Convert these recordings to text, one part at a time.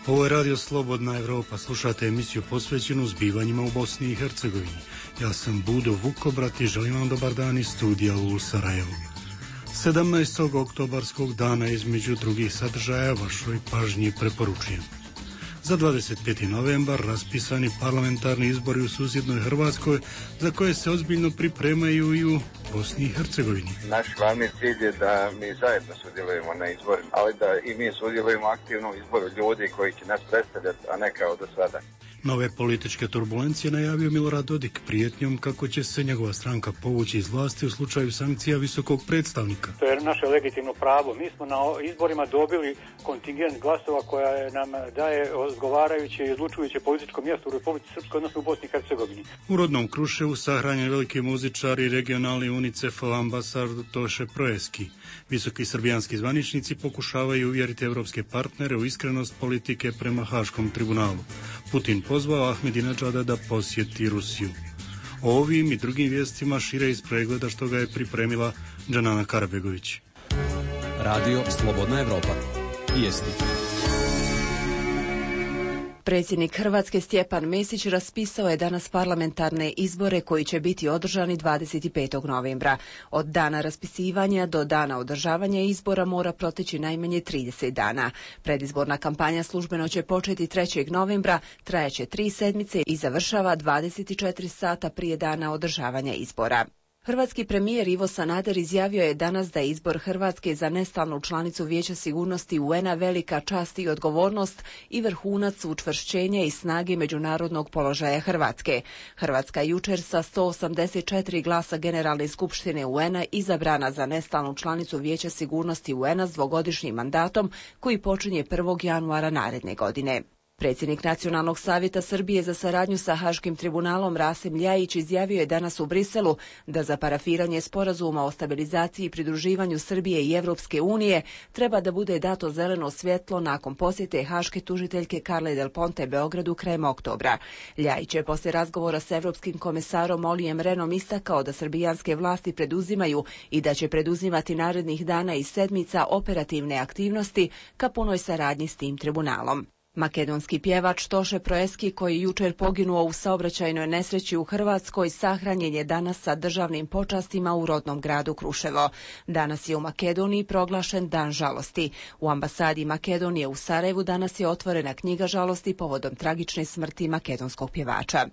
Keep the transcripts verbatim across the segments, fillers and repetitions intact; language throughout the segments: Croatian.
Ovo je Radio Slobodna Evropa, slušate emisiju posvećenu zbivanjima u Bosni i Hercegovini. Ja sam Budo Vukobrat i želim vam dobar dan iz studija u Sarajevu. sedamnaestog oktobarskog dana između drugih sadržaja vašoj pažnji preporučujem. Za dvadeset peti novembar raspisani parlamentarni izbori u susjednoj Hrvatskoj, za koje se ozbiljno pripremaju i u Bosni i Hercegovini. Naš glavni cilj je da mi zajedno sudjelujemo na izborima, ali da i mi sudjelujemo aktivno u izboru ljudi koji će nas predstavljati, a ne kao do sada. Nove političke turbulencije najavio Milorad Dodik prijetnjom kako će se njegova stranka povući iz vlasti u slučaju sankcija visokog predstavnika. To je naše legitimno pravo. Mi smo na izborima dobili kontingent glasova koja nam daje odgovarajuće i odlučujuće političko mjesto u Republici Srpskoj, odnosno u Bosni i Hercegovini. U rodnom Kruševu sahranjen veliki muzičar i regionalni UNICEF-ov ambasador Toše Proeski. Visoki srbijanski zvaničnici pokušavaju uvjeriti evropske partnere u iskrenost politike prema Haškom tribunalu. Putin pozvao Ahmedinedžada da posjeti Rusiju. O ovim i drugim vijestima šire iz pregleda što ga je pripremila Džanana Karabegović. Radio Slobodna Evropa. Vijesti. Predsjednik Hrvatske Stjepan Mesić raspisao je danas parlamentarne izbore koji će biti održani dvadeset petog novembra. Od dana raspisivanja do dana održavanja izbora mora proteći najmanje trideset dana. Predizborna kampanja službeno će početi trećeg novembra, trajaće tri sedmice i završava dvadeset četiri sata prije dana održavanja izbora. Hrvatski premijer Ivo Sanader izjavio je danas da je izbor Hrvatske za nestalnu članicu Vijeća sigurnosti U N A velika čast i odgovornost i vrhunac učvršćenja i snage međunarodnog položaja Hrvatske. Hrvatska jučer sa sto osamdeset četiri glasa Generalne skupštine U N A izabrana za nestalnu članicu Vijeća sigurnosti U N A s dvogodišnjim mandatom koji počinje prvog januara naredne godine. Predsjednik Nacionalnog savjeta Srbije za saradnju sa Haškim tribunalom Rasim Ljajić izjavio je danas u Briselu da za parafiranje sporazuma o stabilizaciji i pridruživanju Srbije i Evropske unije treba da bude dato zeleno svjetlo nakon posjete haške tužiteljke Carle Del Ponte Beogradu krajem oktobra. Ljajić je poslije razgovora s evropskim komesarom Olijem Renom istakao da srbijanske vlasti preduzimaju i da će preduzimati narednih dana i sedmica operativne aktivnosti ka punoj saradnji s tim tribunalom. Makedonski pjevač Toše Proeski, koji je jučer poginuo u saobraćajnoj nesreći u Hrvatskoj, sahranjen je danas sa državnim počastima u rodnom gradu Kruševo. Danas je u Makedoniji proglašen Dan žalosti. U ambasadi Makedonije u Sarajevu danas je otvorena knjiga žalosti povodom tragične smrti makedonskog pjevača.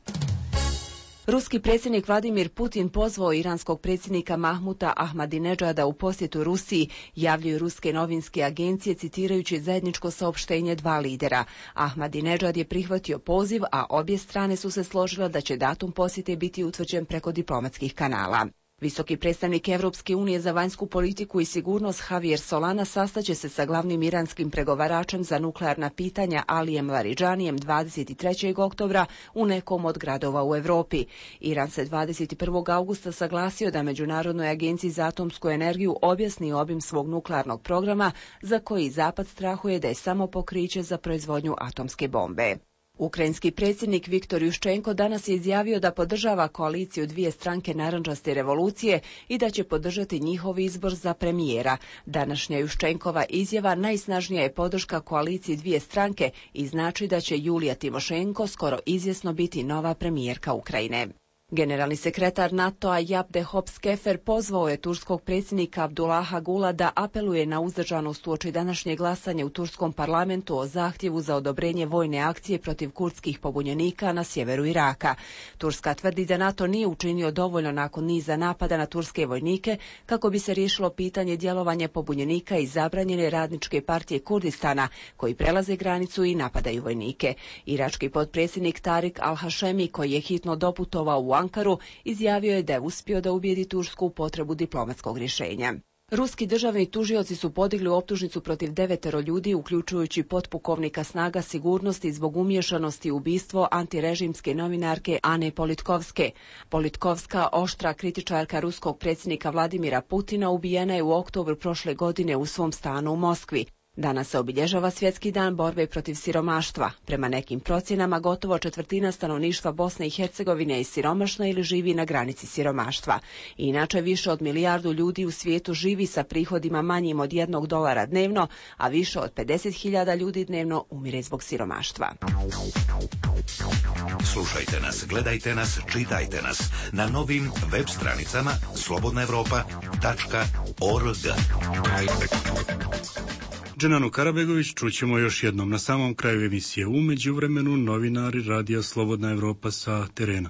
Ruski predsjednik Vladimir Putin pozvao iranskog predsjednika Mahmuta Ahmadinedžada u posjetu Rusiji, javljaju ruske novinske agencije citirajući zajedničko saopštenje dva lidera. Ahmadinedžad je prihvatio poziv, a obje strane su se složile da će datum posjete biti utvrđen preko diplomatskih kanala. Visoki predstavnik Evropske unije za vanjsku politiku i sigurnost Javier Solana sastaće se sa glavnim iranskim pregovaračem za nuklearna pitanja Alijem Laridžanijem dvadeset trećeg oktobra u nekom od gradova u Europi. Iran se dvadeset prvog augusta saglasio da Međunarodnoj agenciji za atomsku energiju objasni obim svog nuklearnog programa za koji Zapad strahuje da je samo pokriće za proizvodnju atomske bombe. Ukrajinski predsjednik Viktor Juščenko danas je izjavio da podržava koaliciju dvije stranke narandžaste revolucije i da će podržati njihov izbor za premijera. Današnja Juščenkova izjava najsnažnija je podrška koaliciji dvije stranke i znači da će Julija Timošenko skoro izvjesno biti nova premijerka Ukrajine. Generalni sekretar NATO-a Jabde Hops-Kefer pozvao je turskog predsjednika Abdullaha Gula da apeluje na uzdržanost uoči današnje glasanje u turskom parlamentu o zahtjevu za odobrenje vojne akcije protiv kurdskih pobunjenika na sjeveru Iraka. Turska tvrdi da NATO nije učinio dovoljno nakon niza napada na turske vojnike kako bi se riješilo pitanje djelovanja pobunjenika iz zabranjene radničke partije Kurdistana koji prelaze granicu i napadaju vojnike. Irački potpredsjednik Tarik al-Hašemi, koji je hitno doputovao u Ankaru, izjavio je da je uspio da ubijedi Tursku u potrebu diplomatskog rješenja. Ruski državni tužioci su podigli optužnicu protiv devetero ljudi, uključujući potpukovnika snaga sigurnosti zbog umiješanosti u ubistvo antirežimske novinarke Ane Politkovske. Politkovska, oštra kritičarka ruskog predsjednika Vladimira Putina, ubijena je u oktobru prošle godine u svom stanu u Moskvi. Danas se obilježava Svjetski dan borbe protiv siromaštva. Prema nekim procjenama gotovo četvrtina stanovništva Bosne i Hercegovine je siromašna ili živi na granici siromaštva. Inače, više od milijardu ljudi u svijetu živi sa prihodima manjim od jednog dolara dnevno, a više od pedeset hiljada ljudi dnevno umire zbog siromaštva. Slušajte nas, gledajte nas, čitajte nas na novim web stranicama slobodna europa tačka org. Dženanu Karabegović čućemo još jednom na samom kraju emisije. U međuvremenu novinari Radija Slobodna Evropa sa terena.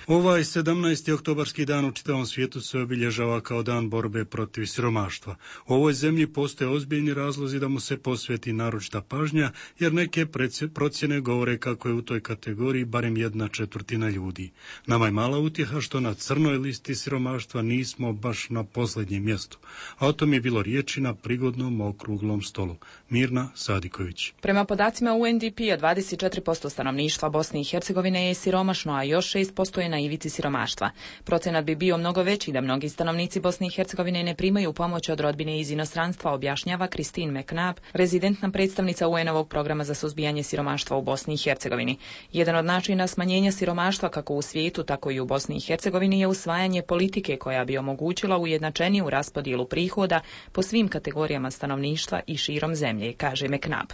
Ovaj sedamnaesti oktobarski dan u čitavom svijetu se obilježava kao dan borbe protiv siromaštva. U ovoj zemlji postoje ozbiljni razlozi da mu se posveti naročita pažnja, jer neke procjene govore kako je u toj kategoriji barem jedna četvrtina ljudi. Nama je mala utjeha što na crnoj listi siromaštva nismo baš na posljednjem mjestu. A o tom je bilo riječi na prigodnom okruglom stolu. Mirna Sadiković. Prema podacima U N D P-a dvadeset četiri posto stanovništva Bosne i Hercegovine je siromašno, a još šest posto je na ivici siromaštva. Procenat bi bio mnogo veći da mnogi stanovnici Bosne i Hercegovine ne primaju pomoć od rodbine iz inostranstva, objašnjava Christine McNabb, rezidentna predstavnica U N-ovog programa za suzbijanje siromaštva u Bosni i Hercegovini. Jedan od načina smanjenja siromaštva kako u svijetu, tako i u Bosni i Hercegovini je usvajanje politike koja bi omogućila ujednačeniju raspodjelu prihoda po svim kategorijama stanovništva i širom zemlje, kaže McNabb.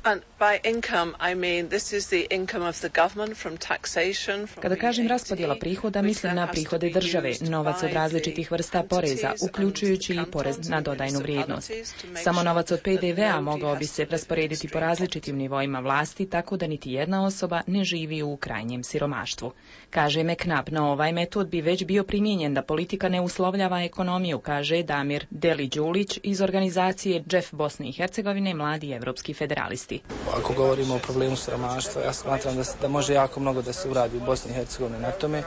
Kada kažem raspodjela prihoda, mislim na prihode države, novac od različitih vrsta poreza, uključujući i porez na dodajnu vrijednost. Samo novac od P D V-a mogao bi se rasporediti po različitim nivoima vlasti, tako da niti jedna osoba ne živi u krajnjem siromaštvu. Kaže McNabb, no ovaj metod bi već bio primijenjen da politika ne uslovljava ekonomiju, kaže Damir Deli-Đulić iz organizacije Džef Bosne i Hercegovine, mladi evropski federalisti. Ako govorimo o problemu siromaštva, ja smatram da, da može jako mnogo da se uradi u Bosni i Hercegovini na tome,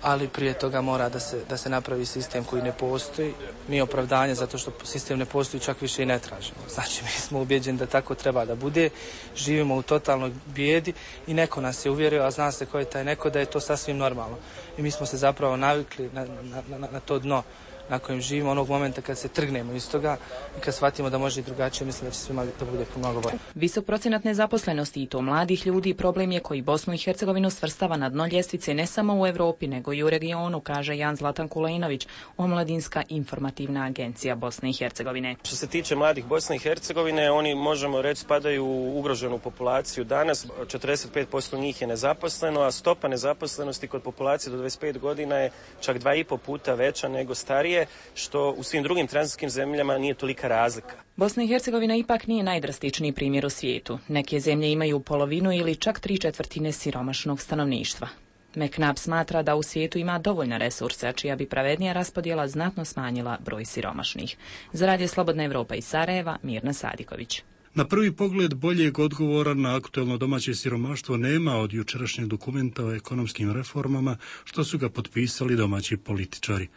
ali prije toga mora da se, da se napravi sistem koji ne postoji. Mi opravdanje zato što sistem ne postoji čak više i ne tražimo. Znači, mi smo ubjeđeni da tako treba da bude. Živimo u totalnoj bijedi i neko nas je uvjerio, a zna se ko je taj neko, da je to sasvim normalno. I mi smo se zapravo navikli na, na, na, na to dno na kojem živimo, onog momenta kad se trgnemo iz toga i kad shvatimo da može i drugačije, mislim da će svima da bude mnogo bolje. Visok procenat nezaposlenosti i to mladih ljudi problem je koji Bosnu i Hercegovinu svrstava na dno ljestvice ne samo u Europi nego i u regionu, kaže Jan Zlatan Kulenović, Omladinska informativna agencija Bosne i Hercegovine. Što se tiče mladih Bosne i Hercegovine, oni možemo reći spadaju u ugroženu populaciju. Danas četrdeset pet posto njih je nezaposleno, a stopa nezaposlenosti kod populacije do dvadeset pet godina je čak dva i po puta veća nego starije, što u svim drugim tranzitskim zemljama nije tolika razlika. Bosna i Hercegovina ipak nije najdrastičniji primjer u svijetu. Neke zemlje imaju polovinu ili čak tri četvrtine siromašnog stanovništva. McNabb smatra da u svijetu ima dovoljna resursa, čija bi pravednija raspodjela znatno smanjila broj siromašnih. Za Radio Slobodna Evropa iz Sarajeva, Mirna Sadiković. Na prvi pogled boljeg odgovora na aktuelno domaće siromaštvo nema od jučerašnjeg dokumenta o ekonomskim reformama što su ga potpisali domaći političari.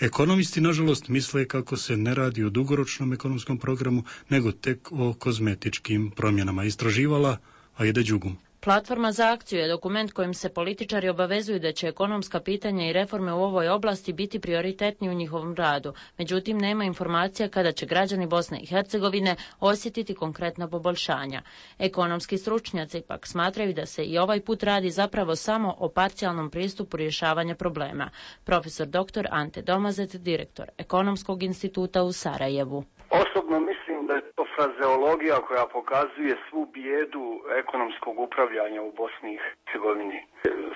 Ekonomisti, nažalost, misle kako se ne radi o dugoročnom ekonomskom programu, nego tek o kozmetičkim promjenama. Istraživala Ajde Đugum. Platforma za akciju je dokument kojim se političari obavezuju da će ekonomska pitanja i reforme u ovoj oblasti biti prioritetni u njihovom radu. Međutim, nema informacija kada će građani Bosne i Hercegovine osjetiti konkretna poboljšanja. Ekonomski stručnjaci pak smatraju da se i ovaj put radi zapravo samo o parcijalnom pristupu rješavanja problema. Profesor doktor Ante Domazet, direktor Ekonomskog instituta u Sarajevu. Osobno mislim da je to frazeologija koja pokazuje svu bijedu ekonomskog upravljanja u Bosni i Hercegovini.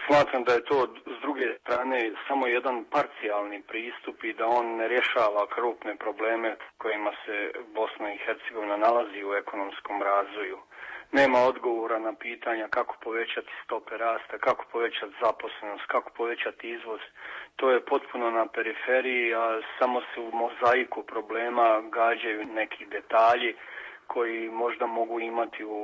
Smatram da je to s druge strane samo jedan parcijalni pristup i da on ne rješava krupne probleme kojima se Bosna i Hercegovina nalazi u ekonomskom razvoju. Nema odgovora na pitanja kako povećati stope rasta, kako povećati zaposlenost, kako povećati izvoz. To je potpuno na periferiji, a samo se u mozaiku problema gađaju neki detalji koji možda mogu imati u,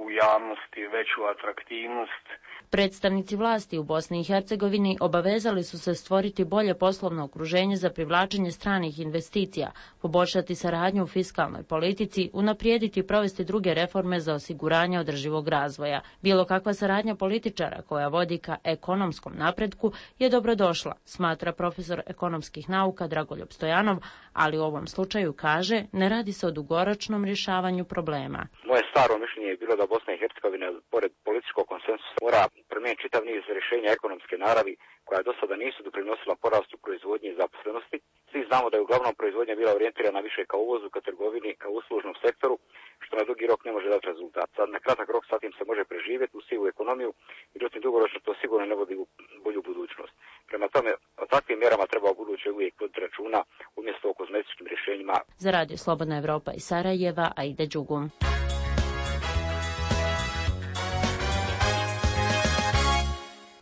u javnosti veću atraktivnost. Predstavnici vlasti u Bosni i Hercegovini obavezali su se stvoriti bolje poslovno okruženje za privlačenje stranih investicija, poboljšati saradnju u fiskalnoj politici, unaprijediti i provesti druge reforme za osiguranje održivog razvoja. Bilo kakva saradnja političara koja vodi ka ekonomskom napretku je dobrodošla, smatra profesor ekonomskih nauka Dragoljub Stojanov, ali u ovom slučaju kaže ne radi se o dugoročnom rješavanju problema. Moje staro mišljenje je bilo da Bosna i Hercegovina pored političkog konsensusa mora promijeniti čitav niz rješenja ekonomske naravi koja do sada nisu doprinosila porastu proizvodnje i zaposlenosti. Svi znamo da je uglavnom proizvodnja bila orijentirana više ka uvozu, ka trgovini, ka uslužnom sektoru, što na dugi rok ne može dati rezultat. Sad na kratak rok sa tim se može preživjeti u sivu ekonomiju, međutim dugoročno to sigurno ne vodi u bolju budućnost. Prema tome, o takvim mjerama treba u buduće uvijek voditi računa umjesto o kozmetičkim rješenjima. Za Radio Slobodna Evropa iz Sarajeva, Aida Đugum.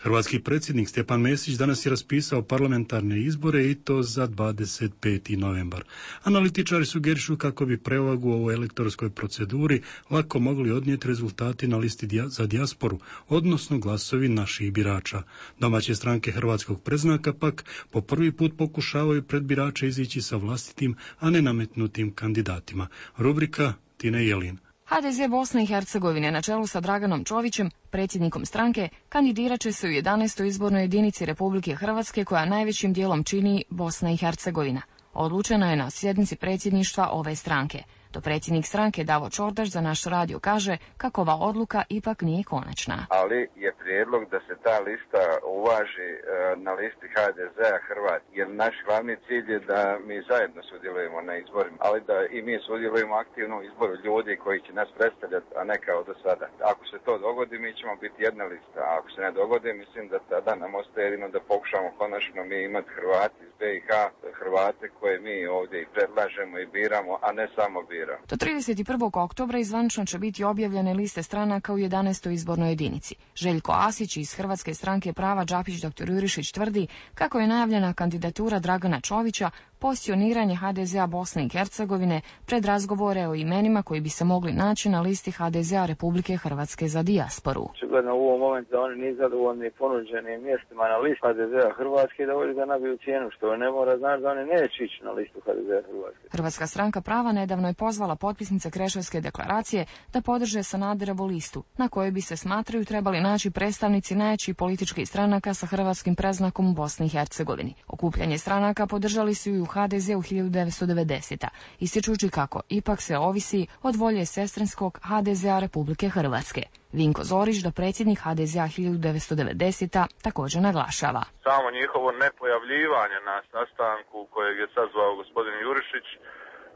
Hrvatski predsjednik Stjepan Mesić danas je raspisao parlamentarne izbore i to za dvadeset peti novembar. Analitičari sugerišu kako bi prevagu u ovoj elektorskoj proceduri lako mogli odnijeti rezultati na listi za dijasporu, odnosno glasovi naših birača. Domaće stranke hrvatskog predznaka pak po prvi put pokušavaju pred birače izići sa vlastitim, a ne nametnutim kandidatima. Rubrika Tine Jelin. ha de ze Bosne i Hercegovine na čelu sa Draganom Čovićem, predsjednikom stranke, kandidirat će se u jedanaestoj izbornoj jedinici Republike Hrvatske koja najvećim dijelom čini Bosna i Hercegovina. Odlučeno je na sjednici predsjedništva ove stranke. To predsjednik stranke Davo Čordaš za naš radio kaže kako ova odluka ipak nije konačna. Ali je prijedlog da se ta lista uvaži e, na listi ha de zea Hrvat, jer naš glavni cilj je da mi zajedno sudjelujemo na izborima, ali da i mi sudjelujemo aktivno u izboru ljudi koji će nas predstavljati, a ne kao do sada. Ako se to dogodi, mi ćemo biti jedna lista, a ako se ne dogodi, mislim da tada nam ostaje jedino da pokušamo konačno mi imati Hrvati iz be i ha, Hrvate koje mi ovdje i predlažemo i biramo, a ne samo biramo. Do trideset prvog oktobra izvanično će biti objavljene liste stranaka u jedanaestoj izbornoj jedinici. Željko Asić iz Hrvatske stranke prava Đapić doktor Jurišić tvrdi kako je najavljena kandidatura Dragana Čovića pozicioniranje ha de zea Bosne i Hercegovine pred razgovore o imenima koji bi se mogli naći na listi ha de zea Republike Hrvatske za dijasporu. Očigledno u ovom momentu da oni nisu zadovoljni ponuđenim mjestima na listi ha de zea Hrvatske, da ovdje da nabiju cijenu, što ne mora znači da oni neće ići na listu ha de zea Hrvatske. Hrvatska stranka prava nedavno je pozvala potpisnice Kreševske deklaracije da podrže Sanaderovu listu, na kojoj bi se smatraju trebali naći predstavnici najjačih političkih stranaka sa hrvatskim predznakom u Bosni i Hercegovini. Okupljanje stranaka podržali su i u ha de zeu hiljadu devetsto devedesete. Ističući kako ipak se ovisi od volje sestrinskog ha de zea Republike Hrvatske. Vinko Zorić, do predsjednik ha de zea hiljadu devetsto devedesete. također naglašava. Samo njihovo nepojavljivanje na sastanku kojeg je sazvao gospodin Jurišić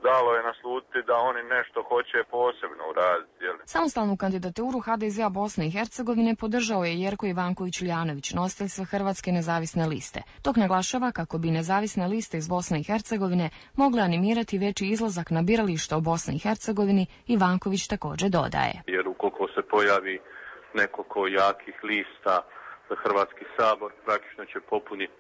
dalo je naslutiti da oni nešto hoće posebno uraditi. Samostalnu kandidaturu ha de zea Bosne i Hercegovine podržao je Jerko Ivanković-Ljanović, nositelj sve Hrvatske nezavisne liste. Dok naglašava kako bi nezavisne liste iz Bosne i Hercegovine mogle animirati veći izlazak na birališta u Bosni i Hercegovini, Ivanković također dodaje. Jer ukoliko se pojavi nekoliko jakih lista za Hrvatski sabor, praktično će popuniti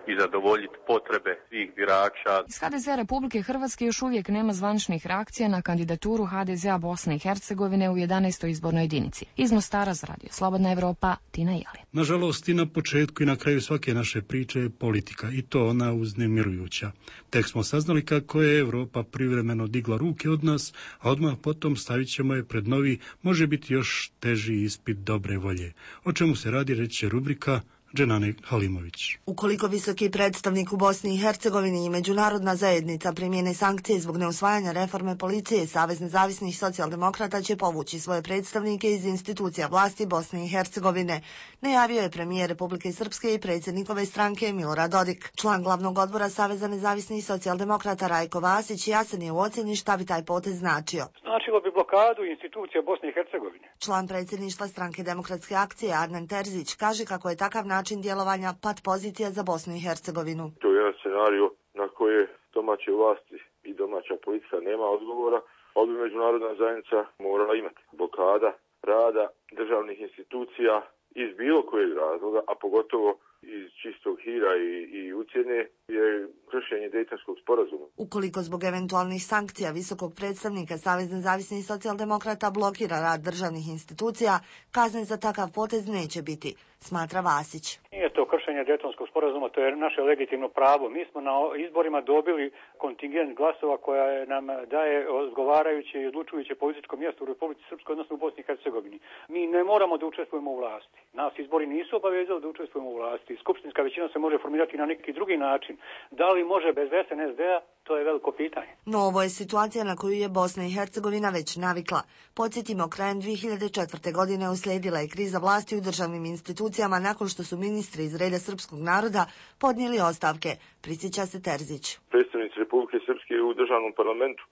i zadovoljiti potrebe svih birača. Iz ha de zea Republike Hrvatske još uvijek nema zvaničnih reakcija na kandidaturu ha de zea Bosne i Hercegovine u jedanaestoj izbornoj jedinici. Iz Mostara za Radio Slobodna Evropa, Tina Jelin. Nažalost, i na početku i na kraju svake naše priče je politika, i to ona uznemirujuća. Tek smo saznali kako je Europa privremeno digla ruke od nas, a odmah potom stavit ćemo je pred novi, može biti još teži ispit dobre volje. O čemu se radi, reći će rubrika Dženane Halimović. Ukoliko visoki predstavnik u Bosni i Hercegovini i međunarodna zajednica primjene sankcije zbog neusvajanja reforme policije, Savez nezavisnih socijaldemokrata će povući svoje predstavnike iz institucija vlasti Bosne i Hercegovine, najavio je premijer Republike Srpske i predsjednikove stranke Milorad Dodik. Član glavnog odbora Saveza nezavisnih socijaldemokrata Rajko Vasić jasan je u ocjeni šta bi taj potez značio. Značilo bi blokadu institucija Bosne i Hercegovine. Član predsjedništva stranke Demokratske akcije Adnan Terzić kaže kako je takav način djelovanja pat pozicija za Bosnu i Hercegovinu. To je jedan scenario na koje domaće vlasti i domaća politika nema odgovora, ali bi međunarodna zajednica morala imati. Blokada rada državnih institucija iz bilo kojeg razloga, a pogotovo iz čistog hira i, i ucjene, je kršenje Dejtonskog sporazuma. Ukoliko zbog eventualnih sankcija visokog predstavnika Savez nezavisnih socijaldemokrata blokira rad državnih institucija, kazne za takav potez neće biti, smatra Vasić. Nije to kršenje Dejtonskog sporazuma, to je naše legitimno pravo. Mi smo na izborima dobili kontingent glasova koja nam daje odgovarajuće i odlučujuće političko mjesto u Republici Srpskoj, odnosno u Bosni i Hercegovini. Mi ne moramo da učestvujemo u vlasti. Nas izbori nisu obavezali da učestvujemo u vlasti. Skupštinska većina se može formirati na neki drugi način. Da li može bez es en es de a? to je veliko pitanje. No ovo je situacija na koju je Bosna i Hercegovina već navikla. Podsjetimo, krajem dvije hiljade četvrte. godine uslijedila je kriza vlasti u državnim institucijama nakon što su ministri iz reda srpskog naroda podnijeli ostavke, prisjeća se Terzić. Predstavnici Republike Srpske u državnom parlamentu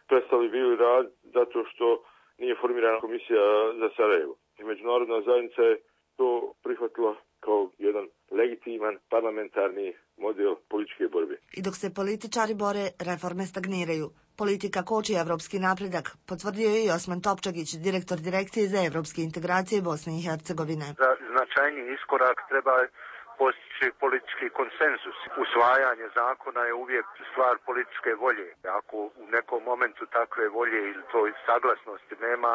prestali bili rad zato što nije formirana komisija za Sarajevo. I međunarodna zajednica je to prihvatila kao jedan legitiman parlamentarni model političke borbe. I dok se političari bore, reforme stagniraju. Politika koči evropski napredak, potvrdio je i Osman Topčagić, direktor Direkcije za evropske integracije Bosne i Hercegovine. Za značajni iskorak treba postići politički konsenzus. Usvajanje zakona je uvijek stvar političke volje. Ako u nekom momentu takve volje ili to saglasnosti nema,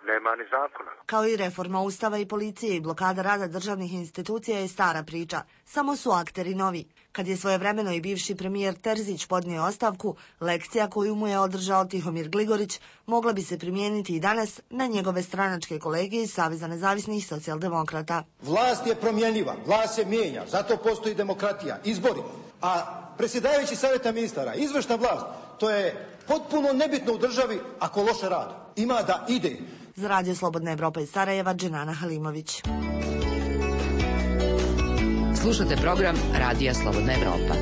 nema ni zakona. Kao i reforma Ustava i policije i blokada rada državnih institucija je stara priča. Samo su akteri novi. Kad je svojevremeno i bivši premijer Terzić podnio ostavku, lekcija koju mu je održao Tihomir Gligorić mogla bi se primijeniti i danas na njegove stranačke kolege iz Saveza nezavisnih socijaldemokrata. Vlast je promjenjiva, vlast se mijenja, zato postoji demokratija, izbori. A predsjedavajući savjeta ministara, izvršna vlast, to je potpuno nebitno u državi ako loše radi. Ima da ide. Za Radio Slobodna Evropa iz Sarajeva, Dženana Halimović. Slušate program Radija Slobodna Evropa.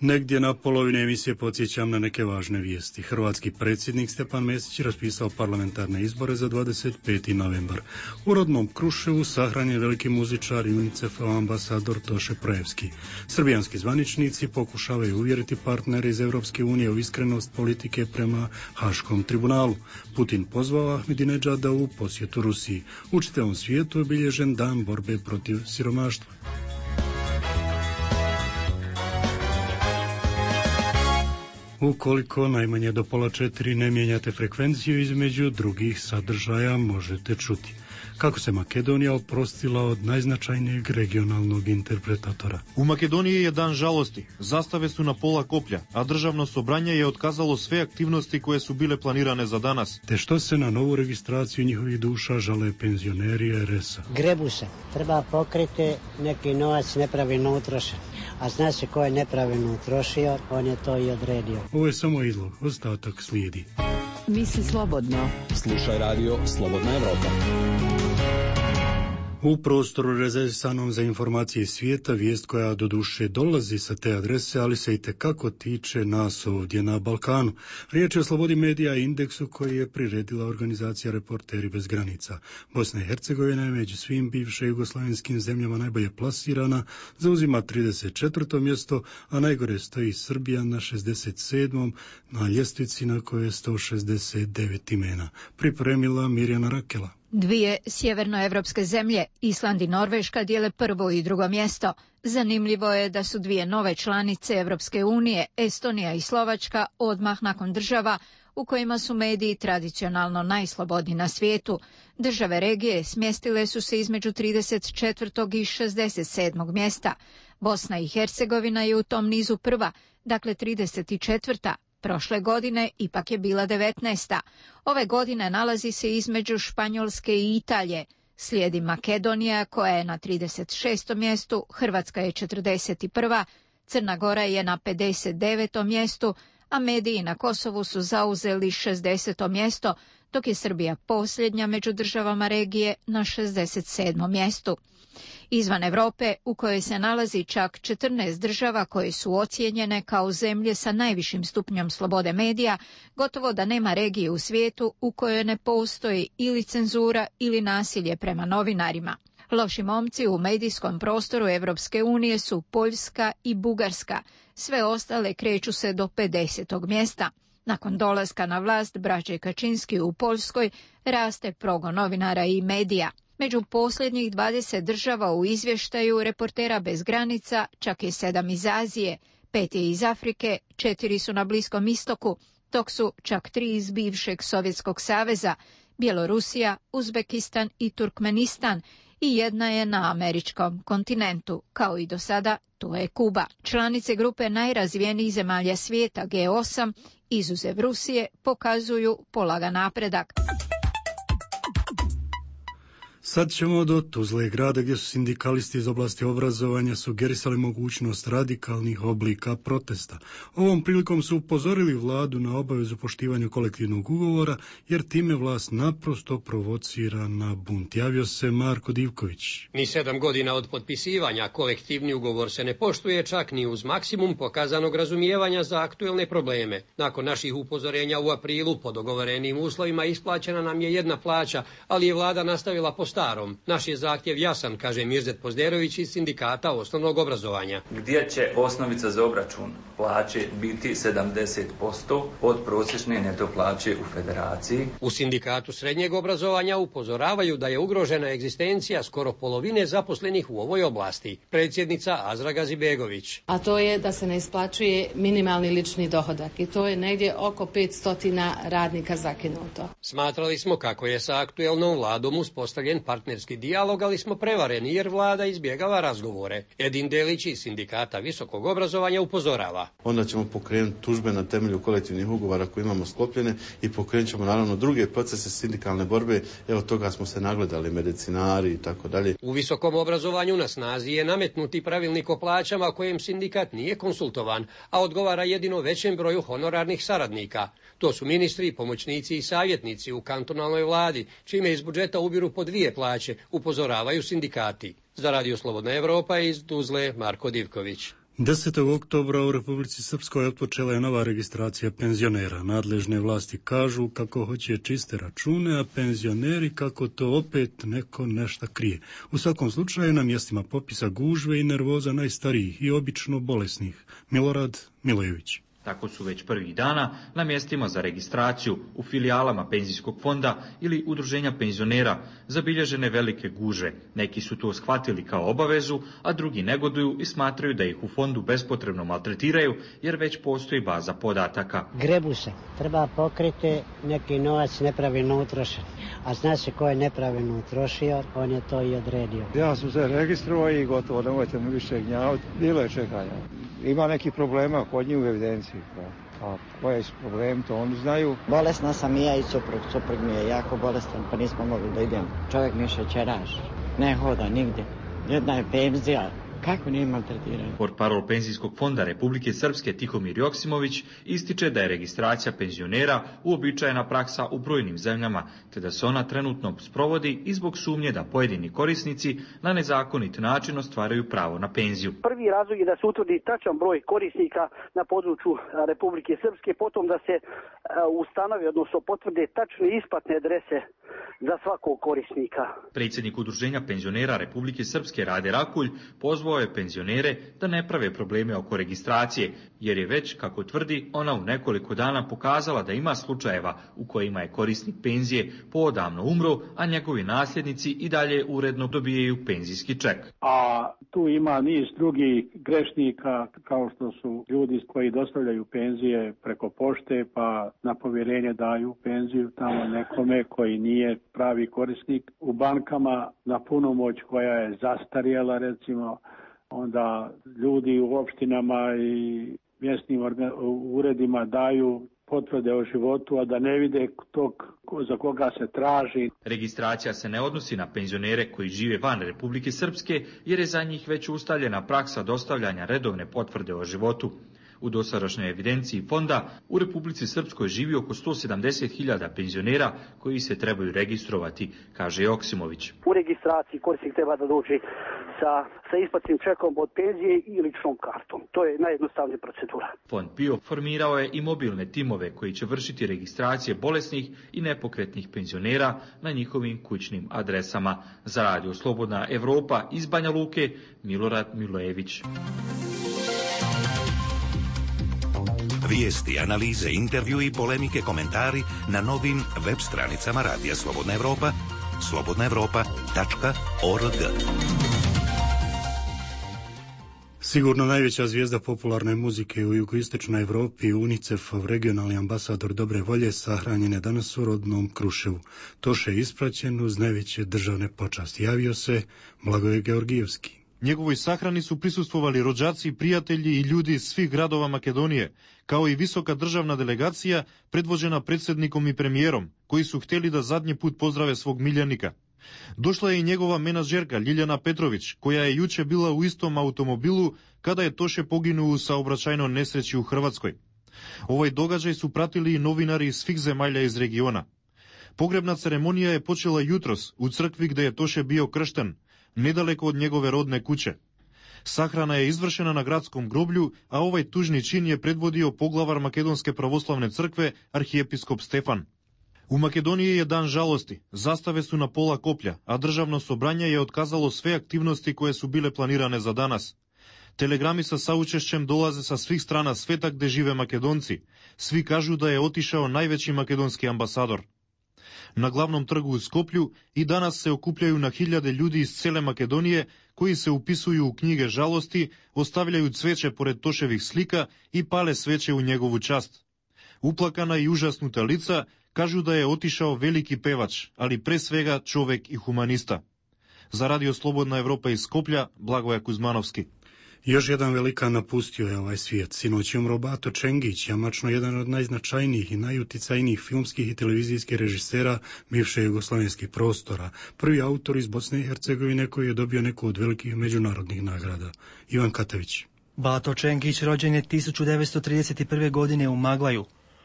Negdje na polovine emisije podsjećam na neke važne vijesti. Hrvatski predsjednik Stjepan Mesić raspisao parlamentarne izbore za dvadeset peti novembar. U rodnom Kruševu sahranjen veliki muzičar i UNICEF-ov ambasador Toše Projevski. Srbijanski zvaničnici pokušavaju uvjeriti partnere iz Europske unije u iskrenost politike prema Haškom tribunalu. Putin pozvao Ahmedinedžada u posjetu Rusiji. U čitavom svijetu je obilježen dan borbe protiv siromaštva. Ukoliko najmanje do pola četiri ne mijenjate frekvenciju, između drugih sadržaja možete čuti kako se Makedonija oprostila od najznačajnijeg regionalnog interpretatora. U Makedoniji je dan žalosti. Zastave su na pola koplja, a državno sobranje je otkazalo sve aktivnosti koje su bile planirane za danas. Te što se na novu registraciju njihovih duša žale penzioneri er es a. Grebu se. Treba pokriti, neki novac nepravilno utrošen. A zna se ko je nepravilno utrošio, on je to i odredio. Ovo je samo izlog, ostatak slijedi. Misli slobodno. Slušaj Radio Slobodna Evropa. U prostoru rezervisanom za informacije svijeta, vijest koja doduše dolazi sa te adrese, ali se i tekako tiče nas ovdje na Balkanu. Riječ je o slobodi medija i indeksu koji je priredila organizacija Reporteri bez granica. Bosna i Hercegovina je među svim bivše jugoslavenskim zemljama najbolje plasirana, zauzima trideset četvrto mjesto, a najgore stoji Srbija na šezdeset sedmom na ljestvici na kojoj je sto šezdeset devet imena. Pripremila Mirjana Rakela. Dvije sjevernoevropske zemlje, Island i Norveška, dijele prvo i drugo mjesto. Zanimljivo je da su dvije nove članice Evropske unije, Estonija i Slovačka, odmah nakon država u kojima su mediji tradicionalno najslobodniji na svijetu. Države regije smjestile su se između trideset četvrtog i šezdeset sedmog mjesta. Bosna i Hercegovina je u tom nizu prva, dakle trideset četvrta Prošle godine ipak je bila devetnaesta Ove godine nalazi se između Španjolske i Italije. Slijedi Makedonija koja je na trideset šestom mjestu, Hrvatska je četrdeset prva Crna Gora je na pedeset devetom mjestu, a mediji na Kosovu su zauzeli šezdeseto mjesto, dok je Srbija posljednja među državama regije na šezdeset sedmom mjestu. Izvan Europe, u kojoj se nalazi čak četrnaest država koje su ocijenjene kao zemlje sa najvišim stupnjom slobode medija, gotovo da nema regije u svijetu u kojoj ne postoji ili cenzura ili nasilje prema novinarima. Loši momci u medijskom prostoru Evropske unije su Poljska i Bugarska, sve ostale kreću se do pedesetog mjesta. Nakon dolaska na vlast braće Kačinski u Poljskoj raste progon novinara i medija. Među posljednjih dvadeset država u izvještaju Reportera bez granica čak je sedam iz Azije, pet je iz Afrike, četiri su na Bliskom istoku, dok su čak tri iz bivšeg Sovjetskog saveza, Bjelorusija, Uzbekistan i Turkmenistan, i jedna je na američkom kontinentu, kao i do sada, to je Kuba. Članice grupe najrazvijenijih zemalja svijeta G osam, izuzev Rusije, pokazuju polagan napredak. Sad ćemo do Tuzle, grada gdje su sindikalisti iz oblasti obrazovanja sugerisali mogućnost radikalnih oblika protesta. Ovom prilikom su upozorili vladu na obavezu poštivanja kolektivnog ugovora, jer time vlast naprosto provocira na bunt. Javio se Marko Divković. Ni sedam godina od potpisivanja kolektivni ugovor se ne poštuje, čak ni uz maksimum pokazanog razumijevanja za aktuelne probleme. Nakon naših upozorenja u aprilu po dogovorenim uslovima isplaćena nam je jedna plaća, ali je vlada nastavila po starom. Naš je zahtjev jasan, kaže Mirzet Pozderović iz Sindikata osnovnog obrazovanja. Gdje će osnovica za obračun plaće biti sedamdeset posto od prosječne neto plaće u federaciji? U Sindikatu srednjeg obrazovanja upozoravaju da je ugrožena egzistencija skoro polovine zaposlenih u ovoj oblasti. Predsjednica Azra Gazibegović. A to je da se ne isplaćuje minimalni lični dohodak i to je negdje oko petsto radnika zakinuto. Smatrali smo kako je sa aktuelnom vladom uspostavljen partnerski dijalog, ali smo prevareni jer vlada izbjegava razgovore. Edin Delić iz Sindikata visokog obrazovanja upozorava. Onda ćemo pokrenuti tužbe na temelju kolektivnih ugovora koje imamo sklopljene i pokrenut ćemo naravno druge procese sindikalne borbe. Evo toga smo se nagledali, medicinari i tako dalje. U visokom obrazovanju na snazi je nametnuti pravilnik o plaćama kojem sindikat nije konsultovan, a odgovara jedino većem broju honorarnih saradnika. To su ministri, pomoćnici i savjetnici u kantonalnoj vladi, čime iz budžeta ubiru po dvije plaće, upozoravaju sindikati. Za Radio Slobodna Evropa iz Tuzle, Marko Divković. desetog oktobra u Republici Srpskoj otpočela je nova registracija penzionera. Nadležne vlasti kažu kako hoće čiste račune, a penzioneri kako to opet neko nešto krije. U svakom slučaju na mjestima popisa gužve i nervoza najstarijih i obično bolesnih. Milorad Milojević. Tako su već prvih dana na mjestima za registraciju u filijalama penzijskog fonda ili udruženja penzionera zabilježene velike gužve. Neki su to shvatili kao obavezu, a drugi negoduju i smatraju da ih u fondu bespotrebno maltretiraju jer već postoji baza podataka. Grebu se. Treba pokriti neki novac nepravilno utrošen. A zna se ko je nepravilno utrošio, on je to i odredio. Ja sam se registrovao i gotovo, nemojte mi više gnjaviti. Bilo je čekanja. Ima neki problema kod njih u evidenciji. A koji su problem, to oni znaju. Bolesna sam i ja i suprug. Suprug mi je jako bolestan, pa nismo mogli da idemo. Čovjek mi šećeraš, ne hoda nigdje. Jedna je penzija. Kako nije maltretiran? Portparol Penzijskog fonda Republike Srpske Tihomir Joksimović ističe da je registracija penzionera uobičajena praksa u brojnim zemljama, te da se ona trenutno sprovodi i zbog sumnje da pojedini korisnici na nezakonit način ostvaraju pravo na penziju. Prvi razlog je da se utvrdi tačan broj korisnika na području Republike Srpske, potom da se ustanovi, odnosno potvrde tačne isplatne adrese za svakog korisnika. Predsjednik Udruženja penzionera Republike Srpske Rade Rakulj pozvao je penzionere da ne prave probleme oko registracije, jer je već, kako tvrdi, ona u nekoliko dana pokazala da ima slučajeva u kojima je korisnik penzije poodavno umro, a njegovi nasljednici i dalje uredno dobijaju penzijski ček. A tu ima niz drugih grešnika, kao što su ljudi koji dostavljaju penzije preko pošte, pa na povjerenje daju penziju tamo nekome koji nije pravi korisnik. U bankama na punomoć koja je zastarjela, recimo, onda ljudi u opštinama i mjesnim uredima daju potvrde o životu, a da ne vide tog za koga se traži. Registracija se ne odnosi na penzionere koji žive van Republike Srpske, jer je za njih već ustaljena praksa dostavljanja redovne potvrde o životu. U dosadašnjoj evidenciji fonda u Republici Srpskoj živi oko sto sedamdeset hiljada penzionera koji se trebaju registrovati, kaže Joksimović. U registraciji korisnik treba da dođe sa, sa isplatnim čekom od penzije i ličnom kartom. To je najjednostavnija procedura. Fond P I O formirao je i mobilne timove koji će vršiti registracije bolesnih i nepokretnih penzionera na njihovim kućnim adresama. Za Radio Slobodna Evropa iz Banja Luke, Milorad Milojević. Vijesti, analize, intervju i polemike, komentari na novim web stranicama Radija Slobodna Evropa, slobodna evropa tačka org. Sigurno najveća zvijezda popularne muzike u jugoistočnoj Evropi, UNICEF-ov regionalni ambasador dobre volje, sahranjen je danas u rodnom Kruševu. Toše je ispraćen uz najveće državne počasti. Javio se Blagoje Georgijevski. Njegovoj sahrani su prisustvovali rođaci, prijatelji i ljudi iz svih gradova Makedonije, kao i visoka državna delegacija predvođena predsjednikom i premijerom, koji su htjeli da zadnji put pozdrave svog miljenika. Дошла е и негова менаџерка Лилјана Петровиќ, која е јуче била у истом автомобилу када е Тоше погинул у саобраќајно несреќи у Хрватској. Овој догаѓај су пратили и новинари из свих земјалја из региона. Погребна церемонија е почела јутрос у цркви где е Тоше био крштен, недалеко од негове родне куќе. Сахрана е извршена на градском гроблju, а овој тужни чин е предводио поглавар Македонске православне цркве архиепископ Стефан. У Македонија е дан жалости, заставе су на пола коплја, а државно собрање е отказало све активности кои су биле планиране за данас. Телеграми со саучешќем долазе со свих страна света где живе македонци. Сви кажу да е отишао највеќи македонски амбасадор. На главном тргу у Скопју и данас се окупљају на хилјаде људи из целе Македонија кои се уписују у книге жалости, остављају цвече поред Тошевих слика и пале свече у негову част. Уплакана и ужаснута лица кажу да е отишао велики певач, али пре свега човек и хуманиста. За Радио Слободна Европа из Скопља, Благоја Кузмановски. Još jedan velikan napustio je ovaj svijet. Sinoć je umro Bato Čengić, jamačno jedan od najznačajnijih i najuticajnijih filmskih i televizijskih režisera bivše jugoslavenskih prostora. Prvi autor iz Bosne i Hercegovine koji je dobio neku od velikih međunarodnih nagrada. Ivan Katavić. Bato Čengić rođen je tisuću devetsto trideset prve. godine u Maglaju.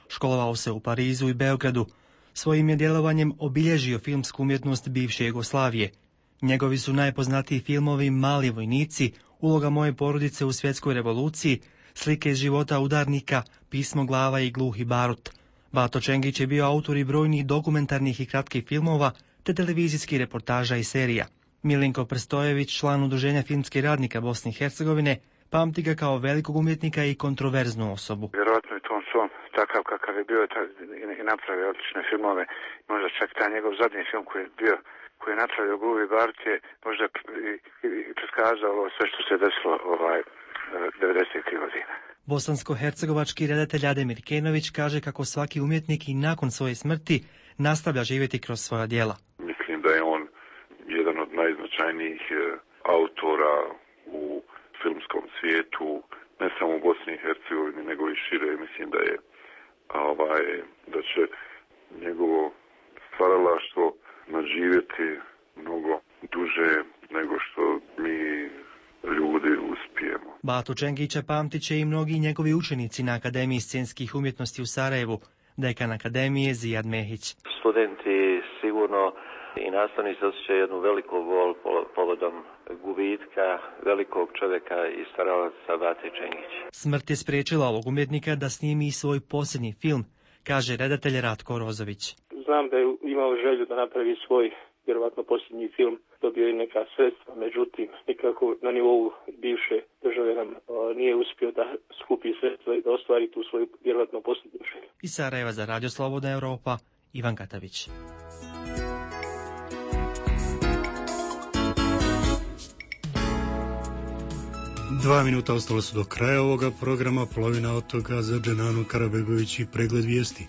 Školovao se u Parizu i Beogradu. Svojim je djelovanjem obilježio filmsku umjetnost bivše Jugoslavije. Njegovi su najpoznatiji filmovi Mali vojnici, Uloga moje porodice u svjetskoj revoluciji, Slike iz života udarnika, Pismo glava i Gluhi barut. Bato Čengić je bio autor i brojnih dokumentarnih i kratkih filmova, te televizijskih reportaža i serija. Milinko Prstojević, član Udruženja filmskih radnika Bosne i Hercegovine, pamti ga kao velikog umjetnika i kontroverznu osobu. Vjerojatno je to on svom takav kakav je bio i napravio odlične filmove. Možda čak taj njegov zadnji film koji je bio koji je napravio Gluhi barut je možda i, i, i preskazalo sve što se desilo ovaj, devedesetih godina. Bosansko-hercegovački redatelj Ademir Kenović kaže kako svaki umjetnik i nakon svoje smrti nastavlja živjeti kroz svoja djela. Mislim da je on jedan od najznačajnijih autora u filmskom svijetu, ne samo u Bosni i Hercegovini, nego i šire. Mislim da je ovaj, da će njegovo stvaralaštvo nadživjeti mnogo duže nego što mi ljudi uspijemo. Batu Čengića pamtit će i mnogi njegovi učenici na Akademiji scenskih umjetnosti u Sarajevu, dekan Akademije Zijad Mehić. Studenti sigurno i nastavnici osjećaju jednu veliku bol povodom gubitka velikog čovjeka i stvaralaca Bate Čengića. Smrt je spriječila ovog umjetnika da snimi svoj posljednji film, kaže redatelj Ratko Rozović. Znam da je imao želju da napravi svoj, vjerovatno posljednji film, dobio i neka sredstva, međutim, nikako na nivou bivše države nam nije uspio da skupi sredstva i da ostvari tu svoju, vjerovatno, posljednju želju. Iz Sarajeva za Radio Slobodna Europa, Ivan Katavić. Dva minuta ostalo su do kraja ovoga programa, polovina od toga za Dženanu Karabegović i pregled vijesti.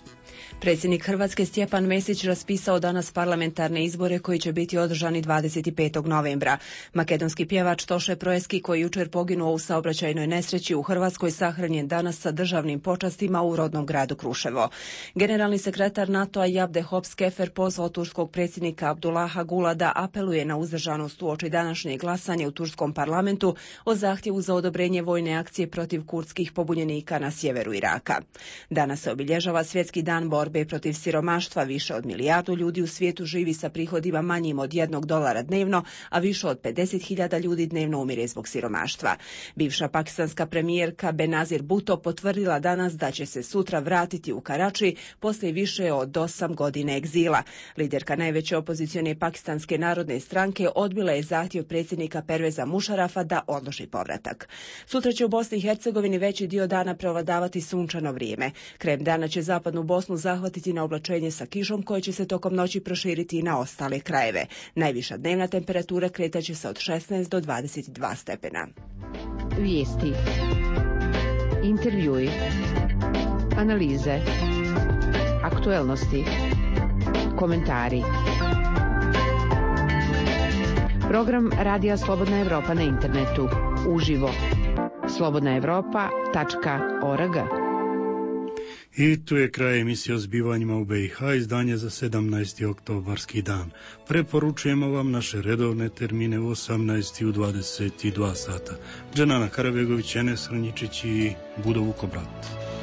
Predsjednik Hrvatske Stjepan Mesić raspisao danas parlamentarne izbore koji će biti održani dvadeset petog novembra. Makedonski pjevač Toše Proeski, koji jučer poginuo u saobraćajnoj nesreći u Hrvatskoj, sahranjen danas sa državnim počastima u rodnom gradu Kruševo. Generalni sekretar NATO-a Javde Hopskefer pozvao turskog predsjednika Abdullaha Gula da apeluje na uzdržanost uoči današnje glasanje u turskom parlamentu o zahtjevu za odobrenje vojne akcije protiv kurdskih pobunjenika na sjeveru Iraka. Danas se obilježava Svjetski dan borbe protiv siromaštva. Više od milijardu ljudi u svijetu živi sa prihodima manjim od jednog dolara dnevno, a više od pedeset hiljada ljudi dnevno umire zbog siromaštva. Bivša pakistanska premijerka Benazir Bhutto potvrdila danas da će se sutra vratiti u Karači poslije više od osam godina egzila. Liderka najveće opozicione pakistanske narodne stranke odbila je zahtjev predsjednika Perveza Mušarafa da odloži povratak. Sutra će u Bosni i Hercegovini veći dio dana prevladavati sunčano vrijeme. Krajem dana će zapadnu Bosnu zahvatiti na oblačenje sa kišom koje će se tokom noći proširiti i na ostale krajeve. Najviša dnevna temperatura kretaće se od šesnaest do dvadeset dva stepena. Vijesti, intervjui, analize, aktuelnosti, komentari. Program Radija Slobodna Evropa na internetu, uživo, slobodna evropa tačka org. I tu je kraj emisije o zbivanjima u be i ha, izdanje za sedamnaesti oktobarski dan. Preporučujemo vam naše redovne termine u osamnaest i u dvadeset dva sata. Dženana Karabegović, Enes Hrnjičić i Budo Vukobrat.